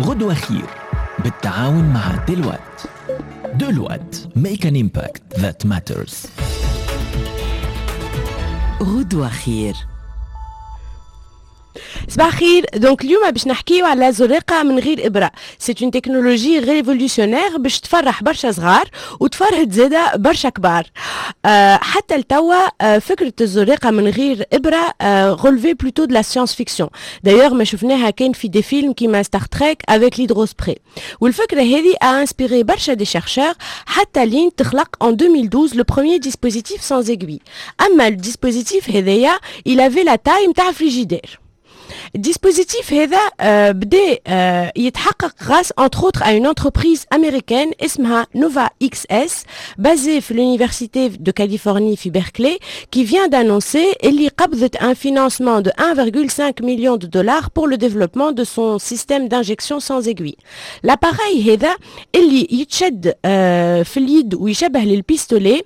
غدوة خير بالتعاون مع Deloitte. Deloitte, make an impact that matters. غدوة خير. صباح خير. donc اليوم باش نحكيو على زريقه من غير ابره. c'est une technologie révolutionnaire باش تفرح برشا صغار وتفرهد زاده برشا كبار. حتى لتوا فكرة الزريقه من غير ابره relevait plutôt de la science-fiction. d'ailleurs ما شفناها كان في des films كيما Star Trek avec l'hydrospray. والفكرة هذه a inspiré برشا des chercheurs حتى لين تخلق en 2012 le premier dispositif sans aiguille. اما ال dispositif هذايا il avait la taille نتاع frigidaire. ال dispositif هذا بدا يتحقق grâce entre autres à une entreprise américaine اسمها Nova XS, basée في l'université de Californie في Berkeley, qui vient d'annoncer اللي قبضت un financement de 1,5 million de dollars pour le développement de son système d'injection sans aiguille. L'appareil هذا اللي يتشد في اليد ويشبه لل pistolet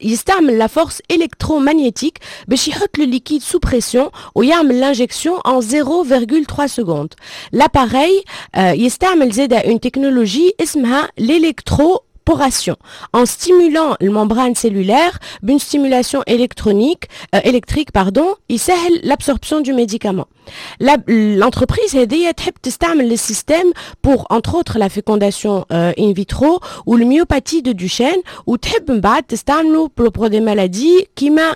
يستعمل la force électromagnétique باش يحط le liquide sous pression ويعمل l'injection en 0,3 secondes. L'appareil يستعمل زاده une technologie اسمها l'électroporation en stimulant la membrane cellulaire d'une stimulation électronique électrique pardon, يسهل l'absorption du médicament. L'entreprise هذه تحب تستعمل le système pour entre autres la fécondation in vitro ou le myopathie de Duchenne, وتحب من بعد تستعمله pour des maladies كيما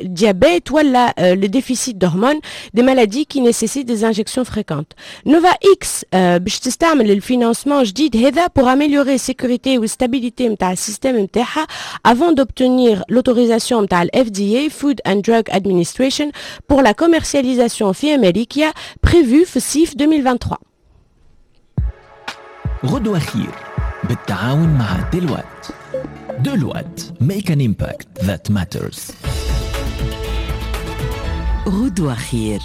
diabète ولا le déficit d'hormones, des maladies qui nécessitent des injections fréquentes. Nova X باش تستعمل ال financement جديد هذا pour améliorer sécurité و stabilité نتاع ال système نتاعها avant d'obtenir l'autorisation نتاع ال FDA, Food and Drug Administration, pour la commercialisation في امريكا prévue في الصيف 2023. غدوة خير بالتعاون مع Deloitte. Deloitte, make an impact that matters. غدوة خير.